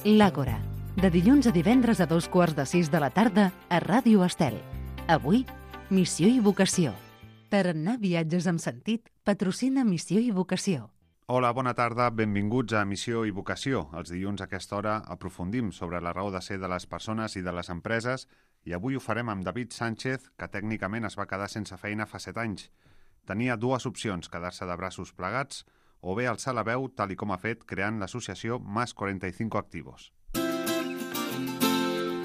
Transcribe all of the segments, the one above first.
L'Àgora, de dilluns a divendres a 5:15 de la tarda a Ràdio Estel. Avui, Missió i Vocació. Tarannà Viatges amb Sentit patrocina Missió i Vocació. Hola, bona tarda, benvinguts a Missió i Vocació. Els dilluns a aquesta hora aprofundim sobre la raó de ser de les persones i de les empreses i avui ho farem amb David Sánchez, que tècnicament es va quedar sense feina fa 7 anys. Tenia dues opcions, quedar-se de braços plegats o bé alçar la veu, tal i com ha fet, creant l'associació Más 45 Activos.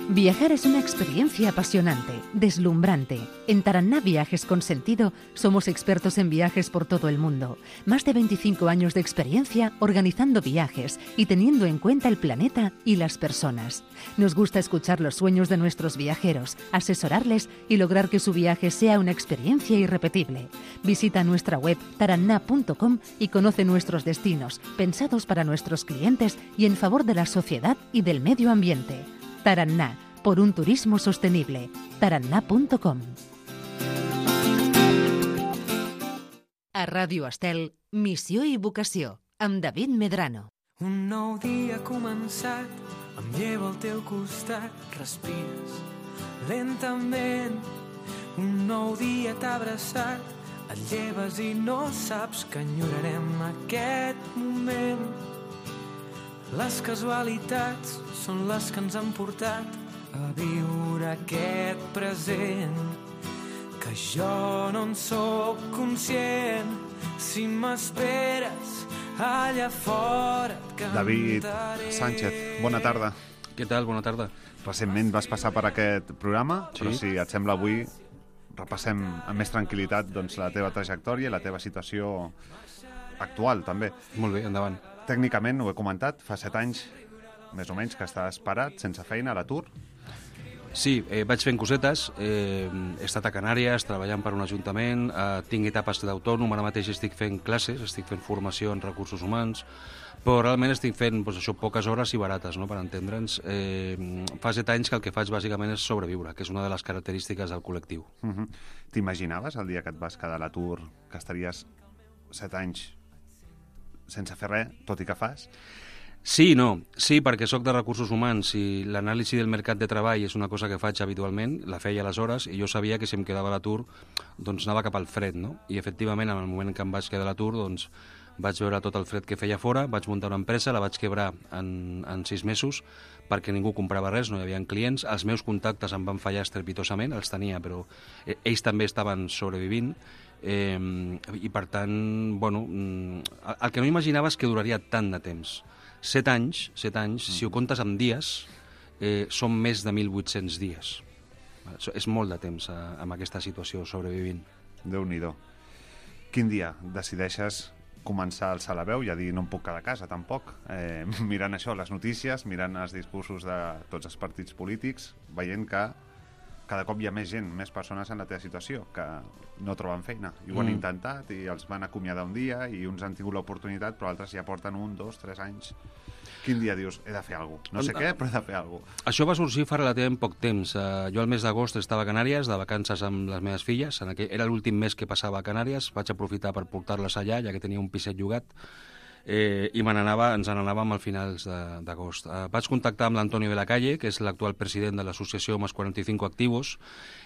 Viajar es una experiencia apasionante, deslumbrante. En Taranná Viajes con Sentido somos expertos en viajes por todo el mundo. Más de 25 años de experiencia organizando viajes y teniendo en cuenta el planeta y las personas. Nos gusta escuchar los sueños de nuestros viajeros, asesorarles y lograr que su viaje sea una experiencia irrepetible. Visita nuestra web taranná.com y conoce nuestros destinos, pensados para nuestros clientes y en favor de la sociedad y del medio ambiente. Taranná, por un turismo sostenible. taranná.com. A Ràdio Estel, Missió i Vocació, amb David Medrano. Un nou dia ha començat, em llevo al teu costat, respires lentament. Un nou dia t'ha abraçat, et lleves i no saps que enyorarem aquest moment. Les casualitats són les que ens han portat a viure aquest present, que jo no en sóc conscient. Si m'esperes allà fora et cantaré. David Sánchez, bona tarda. Què tal? Bona tarda. Recentment vas passar per aquest programa, Sí. però si et sembla avui repassem amb més tranquil·litat doncs, la teva trajectòria i la teva situació actual, també. Molt bé, endavant. Tècnicament, ho he comentat, fa 7 anys, més o menys, que estàs parat, sense feina, a l'atur. Sí, vaig fent cosetes, he estat a Canàries treballant per un ajuntament, tinc etapes d'autònom, ara mateix estic fent classes, estic fent formació en recursos humans, però realment estic fent poques hores i barates, no?, per entendre'ns. Fa 7 anys que el que faig bàsicament és sobreviure, que és una de les característiques del col·lectiu. T'imaginaves el dia que et vas quedar a l'atur, que estaries 7 anys sense fer res, tot i que fas? Sí i no. Sí, perquè sóc de recursos humans i l'anàlisi del mercat de treball és una cosa que faig habitualment, la feia aleshores, i jo sabia que si em quedava a l'atur doncs anava cap al fred, no? I efectivament, en el moment que em vaig quedar a l'atur, doncs vaig veure tot el fred que feia fora, vaig muntar una empresa, la vaig quebrar en 6 mesos perquè ningú comprava res, no hi havia clients, els meus contactes em van fallar estrepitosament, els tenia, però ells també estaven sobrevivint, i per tant, bueno, el que no imaginava és que duraria tant de temps. 7 anys, si ho comptes amb dies, són més de 1.800 dies. És molt de temps amb aquesta situació sobrevivint. Déu-n'hi-do. Quin dia decideixes començar a alçar la veu i a dir no em puc quedar a casa, tampoc? Mirant això, les notícies, mirant els discursos de tots els partits polítics, veient que cada cop hi ha més gent, més persones en la teva situació que no troben feina. I ho han intentat i els van acomiadar un dia i uns han tingut l'oportunitat, però altres ja porten 1, 2, 3 anys. Quin dia dius, he de fer alguna cosa? No sé què, però he de fer alguna cosa. Això va sorgir fa relativament poc temps. Jo al mes d'agost estava a Canàries, de vacances amb les meves filles. Era l'últim mes que passava a Canàries. Vaig aprofitar per portar-les allà, ja que tenia un piset llogat. I ens n'anàvem al finals d'agost. Vaig contactar amb l'Antonio de la Calle, que és l'actual president de l'associació Más 45 Activos,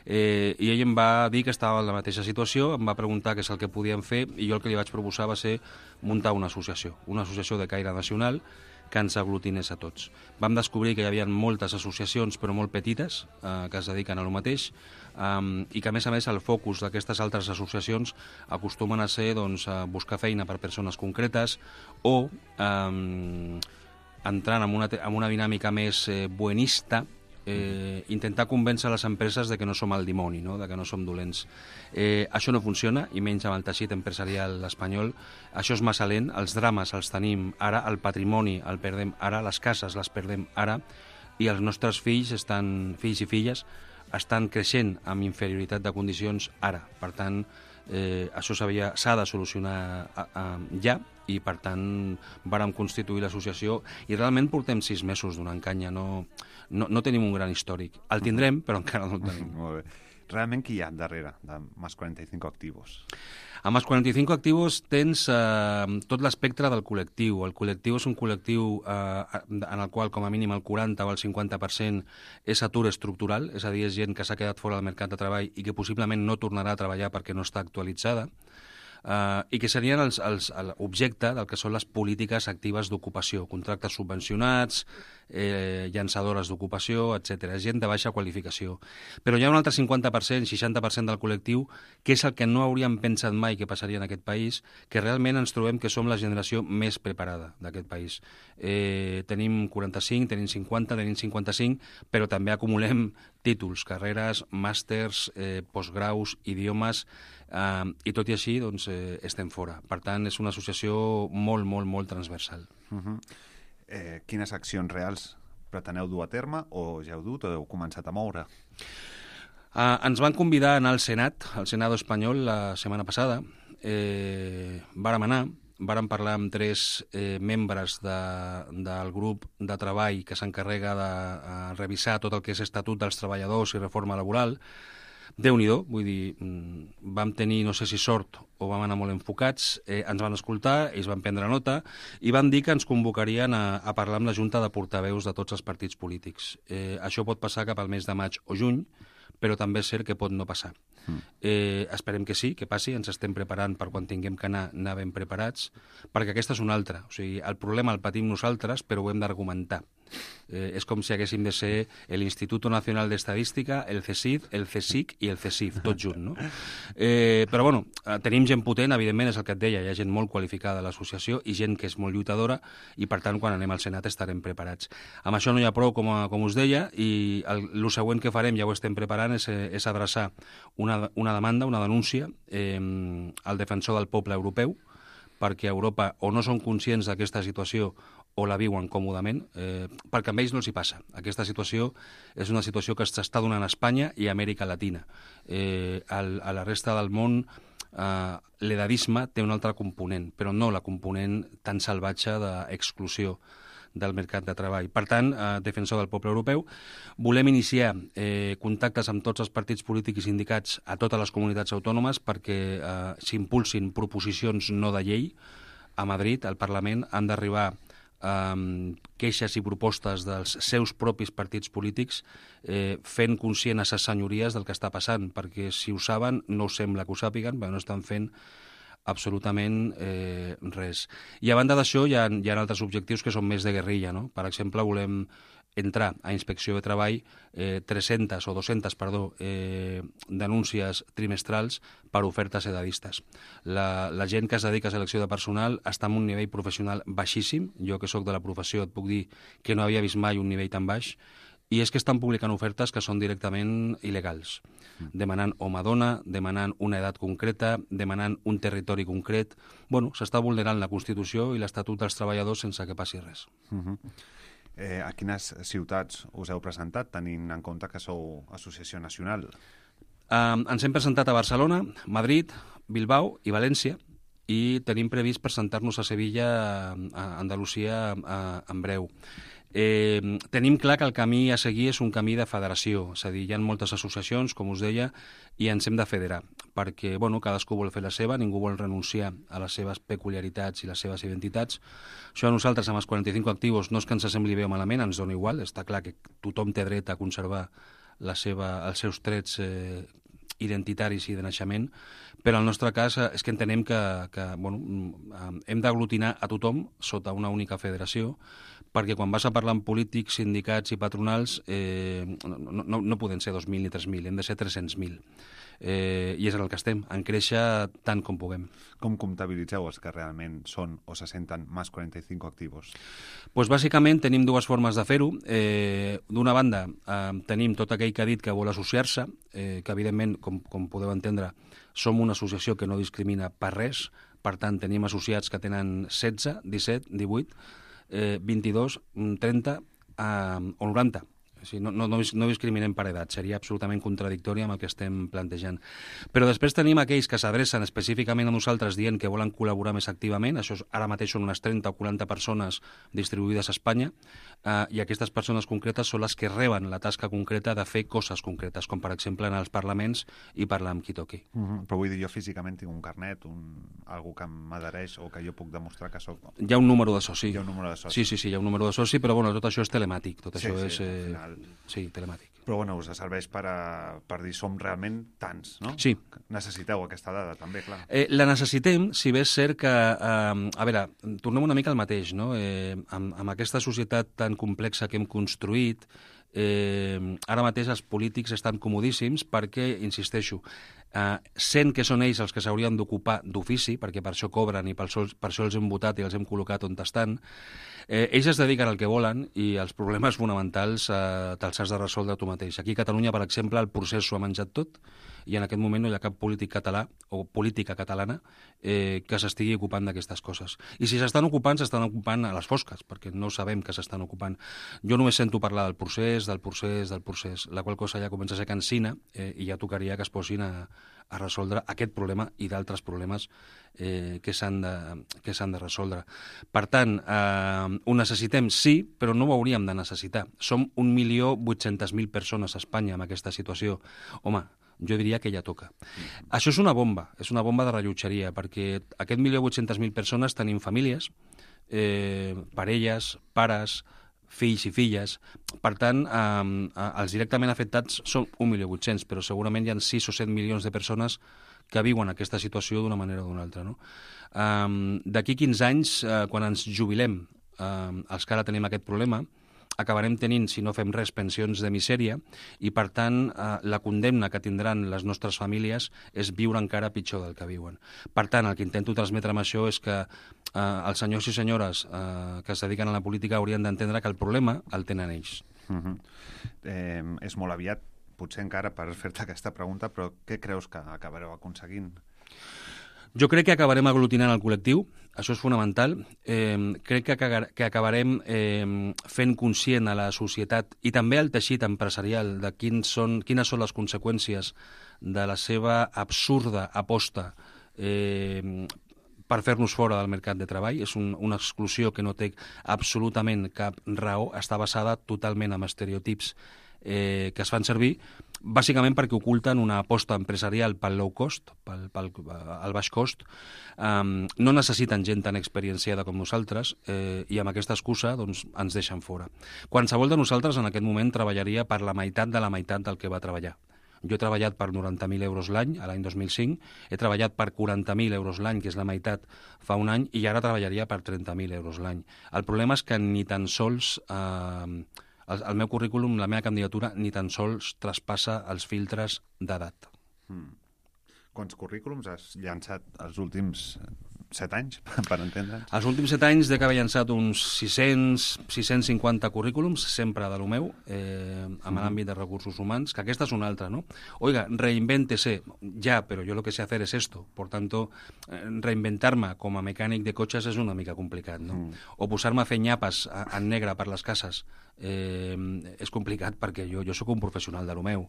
i ell em va dir que estava en la mateixa situació, em va preguntar què és el que podíem fer, i jo el que li vaig proposar va ser muntar una associació de caire nacional que ens aglutinés a tots. Vam descobrir que hi havia moltes associacions, però molt petites, que es dediquen a lo mateix, i que, a més, el focus d'aquestes altres associacions acostumen a ser buscar feina per persones concretes o entrant en una dinàmica més buenista, intentar convèncer les empreses de que no som el dimoni, no?, de que no som dolents. Això no funciona, i menys amb el teixit empresarial espanyol. Això és massa lent, els drames els tenim ara, el patrimoni el perdem ara, les cases les perdem ara, i els nostres fills i filles estan creixent amb inferioritat de condicions ara. Per tant, això s'ha de solucionar ja, i per tant vàrem constituir l'associació i realment portem 6 mesos donant canya, no tenim un gran històric. El tindrem, però encara no el tenim. Molt bé. Realment qui hi ha darrere de Más 45 Activos? Amb els 45 actius tens tot l'espectre del col·lectiu. El col·lectiu és un col·lectiu en el qual com a mínim el 40 o el 50% és atur estructural, és a dir, és gent que s'ha quedat fora del mercat de treball i que possiblement no tornarà a treballar perquè no està actualitzada, i que serien l'objecte del que són les polítiques actives d'ocupació, contractes subvencionats, llançadores d'ocupació, etc. Gent de baixa qualificació. Però hi ha un altre 50%, 60% del col·lectiu, que és el que no hauríem pensat mai que passaria en aquest país, que realment ens trobem que som la generació més preparada d'aquest país. Tenim 45, tenim 50, tenim 55, però també acumulem títols, carreres, màsters, postgraus, idiomes, i tot i així doncs, estem fora. Per tant, és una associació molt, molt, molt transversal. Quines accions reals preteneu dur a terme o ja heu dut o heu començat a moure? Ens van convidar a anar al Senat, al Senado espanyol, la setmana passada. Vàrem anar, vàrem parlar amb 3 membres del grup de treball que s'encarrega de revisar tot el que és Estatut dels Treballadors i reforma laboral. Déu-n'hi-do, vull dir, vam tenir, no sé si sort o vam anar molt enfocats, ens van escoltar, ells van prendre nota i van dir que ens convocarien a parlar amb la Junta de Portaveus de tots els partits polítics. Això pot passar cap al mes de maig o juny, però també és cert que pot no passar. Esperem que sí, que passi, ens estem preparant per quan tinguem que anar ben preparats, perquè aquesta és una altra. O sigui, el problema el patim nosaltres, però ho hem d'argumentar. És com si haguéssim de ser l'Institut Nacional d'Estadística, el CSIC, el CSIC i el CSIF, tot junt, no? Però, bueno, tenim gent potent, evidentment, és el que et deia, hi ha gent molt qualificada a l'associació i gent que és molt lluitadora i, per tant, quan anem al Senat estarem preparats. Amb això no hi ha prou, com us deia, i el següent que farem, ja ho estem preparant, és adreçar una demanda, una denúncia al defensor del poble europeu, perquè a Europa o no són conscients d'aquesta situació o la viuen còmodament, perquè amb ells no els hi passa. Aquesta situació és una situació que s'està donant a Espanya i a Amèrica Latina. A la resta del món l'edadisme té un altre component, però no la component tan salvatge d'exclusió del mercat de treball. Per tant, defensor del poble europeu, volem iniciar contactes amb tots els partits polítics i sindicats a totes les comunitats autònomes perquè s'impulsin proposicions no de llei. A Madrid, al Parlament, han d'arribar queixes i propostes dels seus propis partits polítics fent conscient a ses senyories del que està passant, perquè si ho saben, no us sembla que ho sàpiguen, però no estan fent absolutament res. I a banda d'això hi ha altres objectius que són més de guerrilla, no? Per exemple, volem entrar a Inspecció de Treball 300 o 200, denúncies trimestrals per ofertes edadistes. La gent que es dedica a selecció de personal està en un nivell professional baixíssim. Jo, que sóc de la professió, et puc dir que no havia vist mai un nivell tan baix. I és que estan publicant ofertes que són directament il·legals, demanant home-dona, demanant una edat concreta, demanant un territori concret. Bueno, s'està vulnerant la Constitució i l'Estatut dels Treballadors sense que passi res. A quines ciutats us heu presentat, tenint en compte que sou associació nacional? Ens hem presentat a Barcelona, Madrid, Bilbao i València, i tenim previst presentar-nos a Sevilla, a Andalusia, en breu. Tenim clar que el camí a seguir és un camí de federació, és a dir, hi ha moltes associacions, com us deia, i ens hem de federar, perquè cadascú vol fer la seva, ningú vol renunciar a les seves peculiaritats i les seves identitats. Això a nosaltres, amb els 45 actius, no és que ens sembli bé o malament, ens dona igual, està clar que tothom té dret a conservar els seus trets identitaris i de naixement, però en el nostre cas és que entenem que hem d'aglutinar a tothom sota una única federació, perquè quan vas a parlar amb polítics, sindicats i patronals no poden ser 2.000 ni 3.000, hem de ser 300.000. I és en el que estem, en créixer tant com puguem. Com comptabilitzeu els que realment són o se senten Más 45 activos? Pues bàsicament tenim dues formes de fer-ho. D'una banda, tenim tot aquell que ha dit que vol associar-se, que evidentment, com podeu entendre, som una associació que no discrimina per res, per tant tenim associats que tenen 16, 17, 18, 22, 30 o 90. No discriminem per edat, seria absolutament contradictori amb el que estem plantejant. Però després tenim aquells que s'adrecen específicament a nosaltres dient que volen col·laborar més activament, això ara mateix són unes 30 o 40 persones distribuïdes a Espanya, i aquestes persones concretes són les que reben la tasca concreta de fer coses concretes, com per exemple anar als parlaments i parlar amb qui toqui. Però vull dir, jo físicament tinc un carnet, algú que m'adhereix o que jo puc demostrar que soc... Hi ha un número de soci. Hi ha un número de soci. Sí, hi ha un número de soci, però bueno, tot això és telemàtic, tot això és... Final... Sí, telemàtic. Però bueno, us serveix per dir som realment tants, no? Sí. Necessiteu aquesta dada, també, clar. La necessitem, si bé és cert que... a veure, tornem una mica al mateix, no? Amb aquesta societat tan complexa que hem construït, ara mateix els polítics estan comodíssims perquè, insisteixo, sent que són ells els que s'haurien d'ocupar d'ofici, perquè per això cobren i per això els hem votat i els hem col·locat on estan, ells es dediquen al que volen i els problemes fonamentals te'ls has de resoldre tu mateix. Aquí a Catalunya, per exemple, el procés s'ho ha menjat tot i en aquest moment no hi ha cap polític català o política catalana que s'estigui ocupant d'aquestes coses. I si s'estan ocupant a les fosques, perquè no sabem que s'estan ocupant. Jo només sento parlar del procés, la qual cosa ja comença a ser cansina i ja tocaria que es posin a resoldre aquest problema i d'altres problemes que s'han de resoldre. Per tant, ho necessitem, sí, però no ho hauríem de necessitar. Som 1.800.000 persones a Espanya en aquesta situació. Home, jo diria que ja toca. Això és una bomba de rellotgeria, perquè aquest 1.800.000 persones tenim famílies, parelles, pares, fills i filles. Per tant, els directament afectats són 1.800.000, però segurament hi ha 6 o 7 milions de persones que viuen aquesta situació d'una manera o d'una altra. No? D'aquí 15 anys, quan ens jubilem, els que ara tenim aquest problema, acabarem tenint, si no fem res, pensions de misèria i, per tant, la condemna que tindran les nostres famílies és viure encara pitjor del que viuen. Per tant, el que intento transmetre amb això és que els senyors i senyores que es dediquen a la política haurien d'entendre que el problema el tenen ells. És molt aviat, potser encara, per fer-te aquesta pregunta, però què creus que acabareu aconseguint? Jo crec que acabarem aglutinant el col·lectiu, això és fonamental. Crec que acabarem fent conscient a la societat i també al teixit empresarial de quines són les conseqüències de la seva absurda aposta per fer-nos fora del mercat de treball. És una exclusió que no té absolutament cap raó, està basada totalment en estereotips que es fan servir, bàsicament perquè oculten una aposta empresarial pel low cost, pel baix cost. No necessiten gent tan experienciada com nosaltres i amb aquesta excusa doncs, ens deixen fora. Qualsevol de nosaltres en aquest moment treballaria per la meitat de la meitat del que va treballar. Jo he treballat per 90.000 euros l'any, a l'any 2005, he treballat per 40.000 euros l'any, que és la meitat fa un any, i ara treballaria per 30.000 euros l'any. El problema és que ni tan sols... el meu currículum, la meva candidatura, ni tan sols traspassa els filtres d'edat. Quants currículums has llançat els últims 7 anys, per entendre'ns? Els últims 7 anys d'haver llançat uns 650 currículums, sempre de lo meu, en l'àmbit de recursos humans, que aquesta és una altra, ¿no? Oiga, reinvéntese. Ya, pero yo lo que sé hacer es esto. Por tanto, reinventar-me com a mecànic de cotxes és una mica complicat, no? O posar-me a fer nyapes en negre per les cases és complicat perquè jo sóc un professional de lo meu.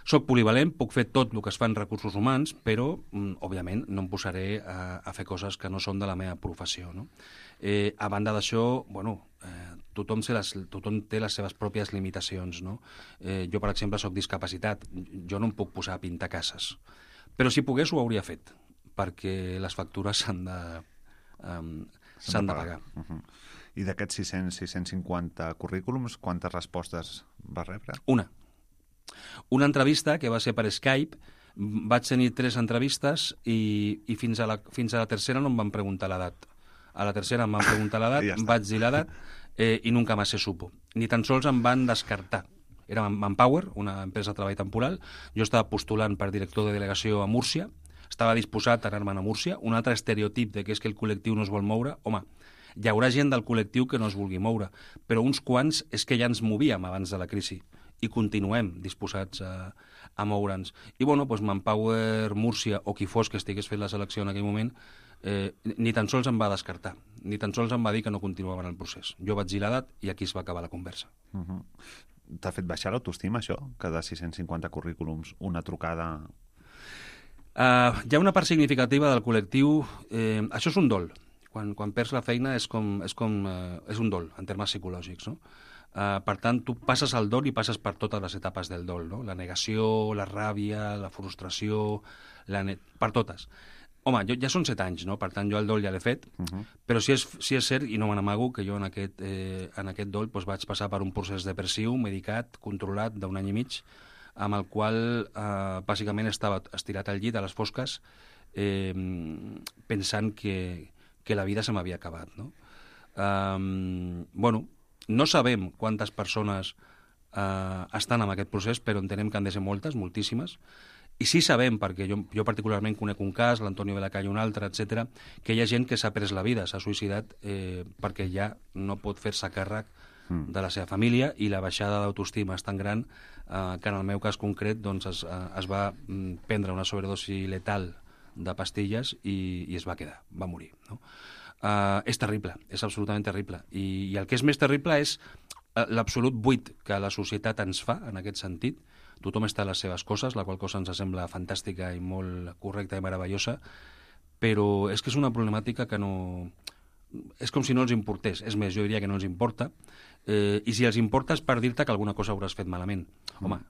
Soc polivalent, puc fer tot el que es fa en recursos humans, però, òbviament, no em posaré a fer coses que no són de la meva professió, no? A banda d'això, bueno, tothom té les seves pròpies limitacions, no? Jo, per exemple, soc discapacitat. Jo no em puc posar a pintar cases. Però si pogués ho hauria fet, perquè les factures s'han de pagar. I d'aquests 650 currículums, quantes respostes vas rebre? Una entrevista que va ser per Skype, vaig tenir 3 entrevistes i fins a la tercera no em van preguntar l'edat. A la tercera em van preguntar l'edat, vaig dir l'edat i nunca más se supo. Ni tan sols em van descartar. Era Manpower, una empresa de treball temporal. Jo estava postulant per director de delegació a Múrcia, estava disposat a anar-me'n a Múrcia. Un altre estereotip de que és que el col·lectiu no es vol moure. Home, hi haurà gent del col·lectiu que no es vulgui moure, però uns quants és que ja ens movíem abans de la crisi i continuem disposats a moure'ns. I, bueno, doncs Manpower, Múrcia o qui fos que estigués fent la selecció en aquell moment, ni tan sols em va descartar, ni tan sols em va dir que no continuava en el procés. Jo vaig dir l'edat i aquí es va acabar la conversa. T'ha fet baixar l'autoestima, això? Que de 650 currículums, una trucada... Hi ha una part significativa del col·lectiu... això és un dol. Quan perds la feina és un dol, en termes psicològics, no? Per tant, tu passes el dol i passes per totes les etapes del dol, no? La negació, la ràbia, la frustració, per totes. Home, ja són 7 anys, no? Per tant, jo el dol ja l'he fet, però sí és cert, i no me n'amago, que jo en aquest dol doncs, vaig passar per un procés depressiu, medicat, controlat, d'1 any i mig, amb el qual bàsicament estava estirat al llit a les fosques pensant que la vida se m'havia acabat, no? Bueno, no sabem quantes persones estan en aquest procés, però entenem que han de ser moltes, moltíssimes, i sí sabem, perquè jo particularment conec un cas, l'Antonio Belacalle un altre, etc., que hi ha gent que s'ha pres la vida, s'ha suïcidat perquè ja no pot fer-se càrrec de la seva família i la baixada d'autoestima és tan gran que en el meu cas concret doncs, es va prendre una sobredosi letal de pastilles i es va quedar, va morir, no? És terrible, és absolutament terrible. I el que és més terrible és l'absolut buit que la societat ens fa en aquest sentit. Tothom està a les seves coses, la qual cosa ens sembla fantàstica i molt correcta i meravellosa, però és que és una problemàtica que no... És com si no els importés. És més, jo diria que no els importa. I si els importa és per dir-te que alguna cosa hauràs fet malament. Home,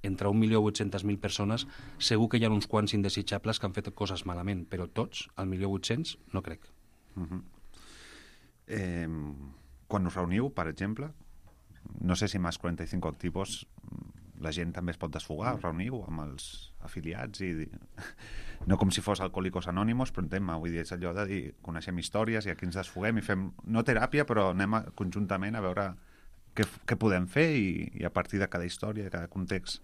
entre 1.800.000 persones segur que hi ha uns quants indesitjables que han fet coses malament, però tots, al 1.800.000, no crec. Quan us reuniu, per exemple, no sé si amb els 45 activos la gent també es pot desfogar, us reuniu amb els afiliats i no com si fos Alcohólicos Anónimos, però entenc, vull dir, és allò de dir, coneixem històries i aquí ens desfoguem i fem, no teràpia, però anem conjuntament a veure què podem fer i a partir de cada història, de cada context.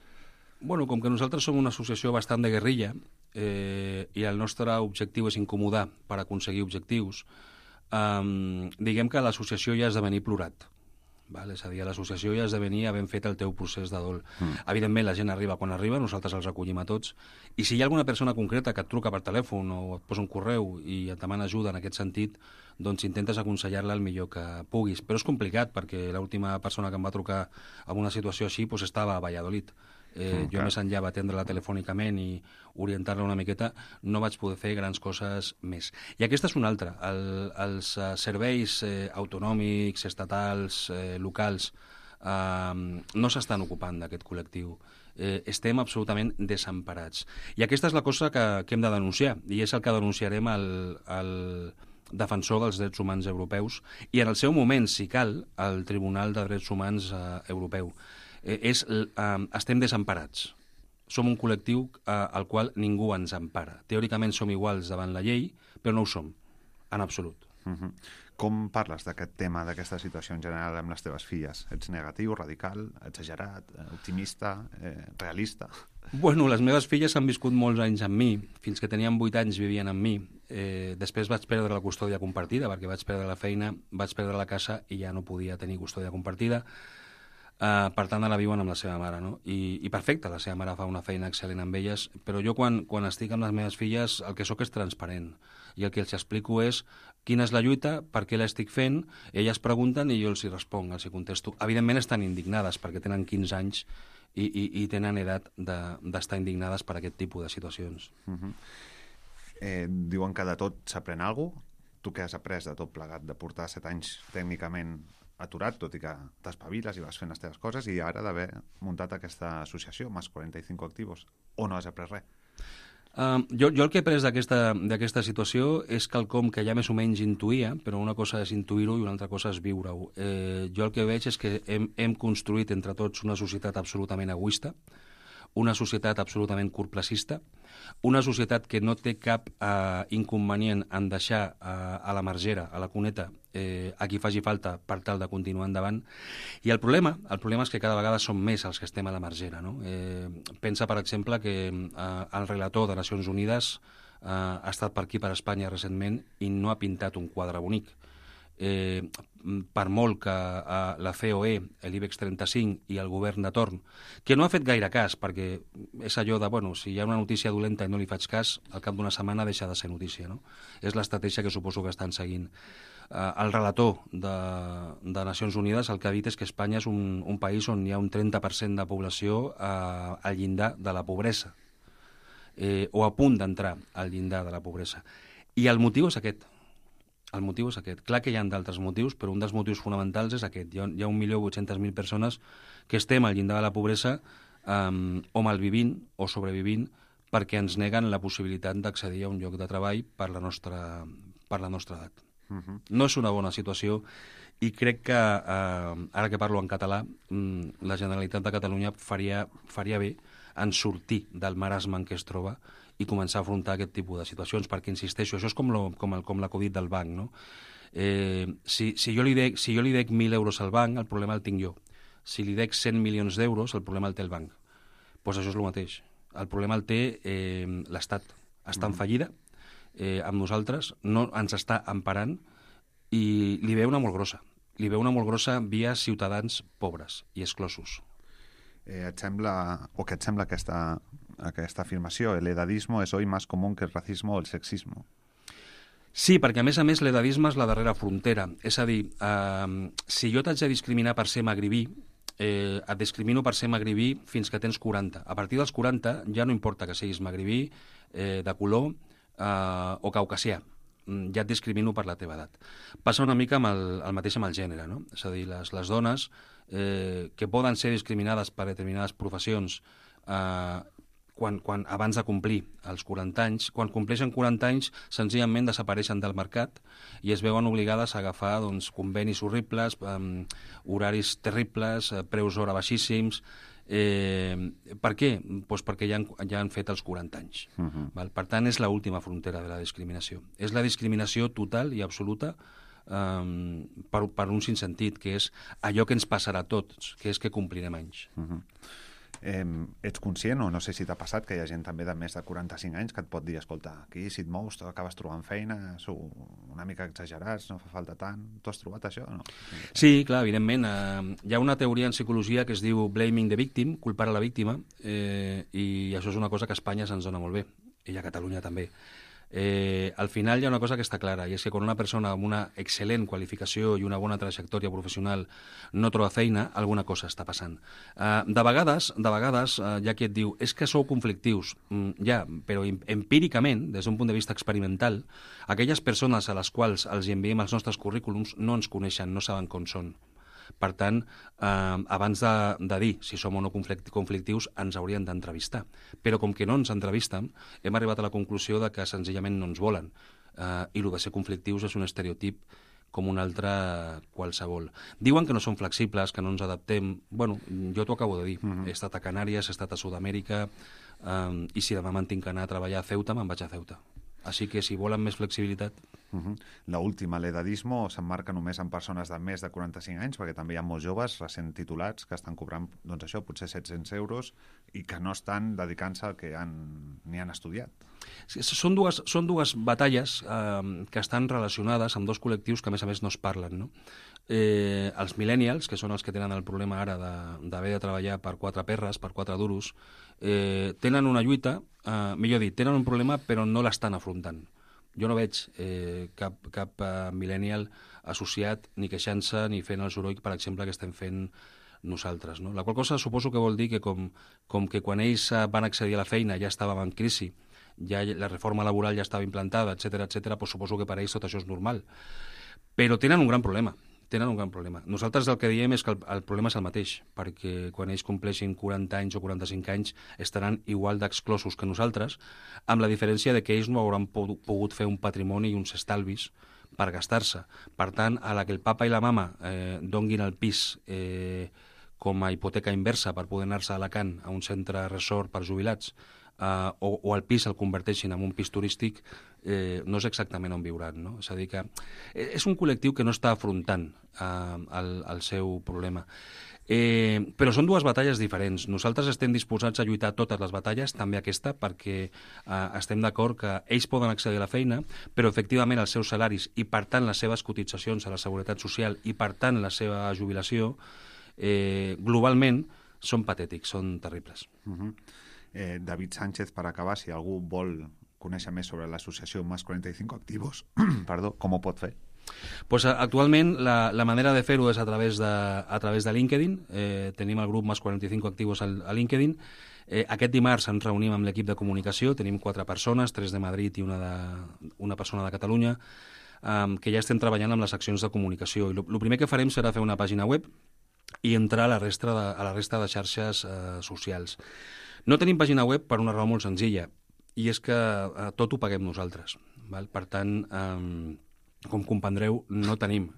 Bueno, com que nosaltres som una associació bastant de guerrilla i el nostre objectiu és incomodar per aconseguir objectius, diguem que l'associació ja ha esdevenir plorat. Val? És a dir, a l'associació ja has de venir havent fet el teu procés de dol. Evidentment, la gent arriba quan arriba, nosaltres els recollim a tots, i si hi ha alguna persona concreta que et truca per telèfon o et posa un correu i et demana ajuda en aquest sentit, doncs intentes aconsellar-la el millor que puguis. Però és complicat, perquè l'última persona que em va trucar en una situació així doncs estava a Valladolid. Jo més enllà d'atendre-la telefònicament i orientar-la una miqueta, no vaig poder fer grans coses més. I aquesta és una altra. Els serveis autonòmics, estatals, locals, no s'estan ocupant d'aquest col·lectiu. Estem absolutament desemparats. I aquesta és la cosa que hem de denunciar, i és el que denunciarem al defensor dels drets humans europeus i en el seu moment, si cal, al Tribunal de Drets Humans Europeu. Estem desemparats. Som un col·lectiu al qual ningú ens empara. Teòricament som iguals davant la llei, però no ho som, en absolut. Com parles d'aquest tema, d'aquesta situació en general amb les teves filles? Ets negatiu, radical, exagerat, optimista, realista? Bueno, les meves filles han viscut molts anys amb mi. Fins que tenien 8 anys vivien amb mi. Després vaig perdre la custòdia compartida, perquè vaig perdre la feina, vaig perdre la casa i ja no podia tenir custòdia compartida. Per tant, ara viuen amb la seva mare, no? I perfecte, la seva mare fa una feina excel·lent amb elles, però jo quan estic amb les meves filles el que sóc és transparent i el que els explico és quina és la lluita, per què l'estic fent, elles pregunten i jo els hi responc, els hi contesto. Evidentment estan indignades perquè tenen 15 anys i tenen edat d'estar indignades per aquest tipus de situacions. Diuen que de tot s'aprèn alguna cosa. Tu què has après de tot plegat, de portar 7 anys tècnicament aturat, tot i que t'espaviles i vas fent les teves coses, i ara d'haver muntat aquesta associació, més 45 activos, o no has après res? Jo el que he après d'aquesta situació és quelcom que ja més o menys intuïa, però una cosa és intuir-ho i una altra cosa és viure-ho. Jo el que veig és que hem construït entre tots una societat absolutament egoista, una societat absolutament curtplacista, una societat que no té cap inconvenient en deixar a la margera, a la cuneta, a qui faci falta per tal de continuar endavant. I el problema és que cada vegada som més els que estem a la margera, no? Pensa, per exemple, que el relator de Nacions Unides ha estat per aquí, per Espanya, recentment, i no ha pintat un quadre bonic. per molt que la COE, l'IBEX 35 i el govern de torn, que no ha fet gaire cas, perquè és allò de, bueno, si hi ha una notícia dolenta i no li faig cas, al cap d'una setmana deixa de ser notícia, no? És l'estratègia que suposo que estan seguint. El relator de Nacions Unides el que ha dit és que Espanya és un país on hi ha un 30% de població al llindar de la pobresa, o a punt d'entrar al llindar de la pobresa. I el motiu és aquest. El motiu és aquest. Clar que hi ha d'altres motius, però un dels motius fonamentals és aquest. Hi ha 1.800.000 persones que estem al llindar de la pobresa o malvivint o sobrevivint perquè ens neguen la possibilitat d'accedir a un lloc de treball per la nostra edat. No és una bona situació i crec que, ara que parlo en català, la Generalitat de Catalunya faria bé en sortir del marasme en què es troba i començar a afrontar aquest tipus de situacions, perquè, insisteixo, això és com la Covid del banc, no? Si jo li dec 1.000 euros al banc, el problema el tinc jo. Si li dec 100 milions d'euros, el problema el té el banc. Doncs això és el mateix. El problema el té l'Estat. Està en fallida, amb nosaltres, no ens està emparant i li ve una molt grossa. Li ve una molt grossa via ciutadans pobres i exclosos. Et sembla aquesta afirmació? El edadismo es hoy más común que el racismo o el sexismo. Sí, perquè a més l'edadisme és la darrera frontera. És a dir, si jo t'haig de discriminar per ser magribí, et discrimino per ser magribí fins que tens 40. A partir dels 40 ja no importa que siguis magribí, de color o caucasià. Ja et discrimino per la teva edat. Passa una mica amb el mateix amb el gènere, no? És a dir, les dones que poden ser discriminades per determinades professions abans de complir els 40 anys, quan compleixen 40 anys senzillament desapareixen del mercat i es veuen obligades a agafar convenis horribles, horaris terribles, preus hora baixíssims. Per què? Doncs perquè ja han fet els 40 anys. Val? Per tant, és l'última frontera de la discriminació. És la discriminació total i absoluta per un sinssentit, que és allò que ens passarà a tots, que és que complirem anys. Ets conscient, o no sé si t'ha passat, que hi ha gent també de més de 45 anys que et pot dir, escolta, aquí si et mous acabes trobant feina, sou una mica exagerats, no fa falta tant. Tu has trobat això o no? Sí, clar, evidentment. Hi ha una teoria en psicologia que es diu blaming the victim, culpar a la víctima, i això és una cosa que a Espanya se'ns dona molt bé, i a Catalunya també. Al final hi ha una cosa que està clara, i és que quan una persona amb una excel·lent qualificació i una bona trajectòria professional no troba feina, alguna cosa està passant. De vegades hi ha qui et diu és que sou conflictius. Ja, però empíricament, des d'un punt de vista experimental, aquelles persones a les quals els enviem els nostres currículums no ens coneixen, no saben com són. Per tant, abans de dir si som o no conflictius, ens haurien d'entrevistar. Però com que no ens entrevisten, hem arribat a la conclusió de que senzillament no ens volen. I el de ser conflictius és un estereotip com un altre qualsevol. Diuen que no som flexibles, que no ens adaptem. Bueno, jo t'ho acabo de dir. He estat a Canàries, he estat a Sud-amèrica, i si demà me'n tinc que anar a treballar a Ceuta, me'n vaig a Ceuta. Així que si volen més flexibilitat... La última, l'edadismo, s'emmarca només en persones de més de 45 anys, perquè també hi ha molts joves recent titulats que estan cobrant, doncs això, potser 700 euros i que no estan dedicant-se al que ni han estudiat. Sí, són dues batalles que estan relacionades amb dos col·lectius que a més no es parlen, no? Els millennials, que són els que tenen el problema ara d'haver de treballar per 4 perres, per 4 duros, tenen una lluita, millor dit, tenen un problema però no l'estan afrontant. Jo no veig cap millennial associat ni queixant-se ni fent el soroll, per exemple, que estem fent nosaltres, no? La qual cosa suposo que vol dir que com que quan ells van accedir a la feina ja estàvem en crisi, ja la reforma laboral ja estava implantada, etc, doncs suposo que per ells tot això és normal. Però tenen un gran problema. Nosaltres el que diem és que el problema és el mateix, perquè quan ells compleixin 40 anys o 45 anys estaran igual d'exclosos que nosaltres, amb la diferència de que ells no hauran pogut fer un patrimoni i uns estalvis per gastar-se. Per tant, a la que el papa i la mama donguin el pis com a hipoteca inversa per poder anar-se a Alacant, a un centre resort per jubilats, o el pis el converteixin en un pis turístic, no és exactament on viuran, no? És a dir, que és un col·lectiu que no està afrontant el seu problema. Però són dues batalles diferents. Nosaltres estem disposats a lluitar totes les batalles, també aquesta, perquè estem d'acord que ells poden accedir a la feina, però efectivament els seus salaris i, per tant, les seves cotitzacions a la Seguretat Social i, per tant, la seva jubilació, globalment, són patètics, són terribles. David Sánchez, per acabar, si algú vol conèixer més sobre l'associació Más 45 Activos, perdó, com ho pot fer? Pues actualment la manera de fer-ho és a través de LinkedIn. Tenim el grup Más 45 Activos a LinkedIn. Aquest dimarts ens reunim amb l'equip de comunicació. Tenim 4 persones, 3 de Madrid i una persona de Catalunya, que ja estem treballant amb les accions de comunicació. I el primer que farem serà fer una pàgina web i entrar a la resta de xarxes socials. No tenim pàgina web per una raó molt senzilla, i és que tot ho paguem nosaltres. Val? Per tant, com comprendreu, no tenim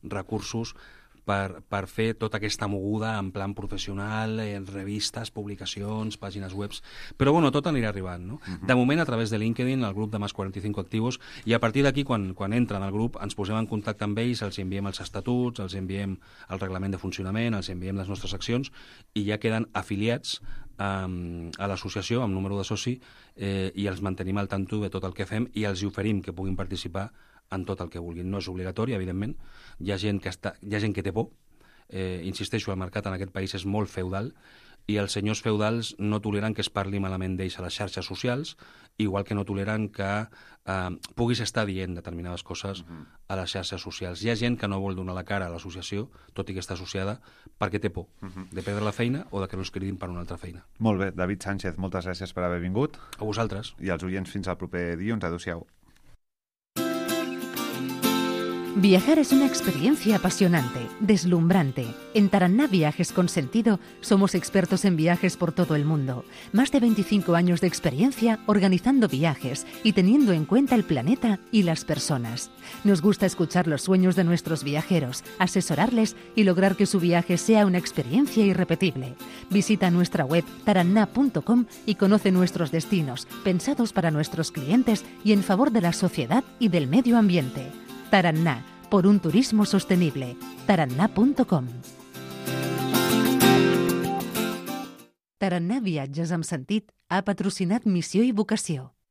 recursos per fer tota aquesta moguda en plan professional, revistes, publicacions, pàgines webs, però bueno, tot anirà arribant, no? De moment, a través de LinkedIn, el grup de Más 45 Activos, i a partir d'aquí, quan entren al grup, ens posem en contacte amb ells, els enviem els estatuts, els enviem el reglament de funcionament, els enviem les nostres accions, i ja queden afiliats a l'associació amb número de soci, i els mantenim al tanto de tot el que fem i els oferim que puguin participar en tot el que vulguin. No és obligatori, evidentment. Hi ha gent que té por. Insisteixo, el mercat en aquest país és molt feudal i els senyors feudals no toleren que es parli malament d'ells a les xarxes socials, igual que no toleren que puguis estar dient determinades coses a les xarxes socials. Hi ha gent que no vol donar la cara a l'associació, tot i que està associada, perquè té por de perdre la feina o de que no es cridin per una altra feina. Molt bé, David Sánchez, moltes gràcies per haver vingut. A vosaltres. I als oients fins al proper dilluns. Adéu-siau. Viajar es una experiencia apasionante, deslumbrante. En Taraná Viajes con Sentido somos expertos en viajes por todo el mundo. Más de 25 años de experiencia organizando viajes y teniendo en cuenta el planeta y las personas. Nos gusta escuchar los sueños de nuestros viajeros, asesorarles y lograr que su viaje sea una experiencia irrepetible. Visita nuestra web taraná.com y conoce nuestros destinos, pensados para nuestros clientes y en favor de la sociedad y del medio ambiente. Taraná, por un turismo sostenible. Taraná.com. Taraná Viatges amb Sentit ha patrocinat Missió i Vocació.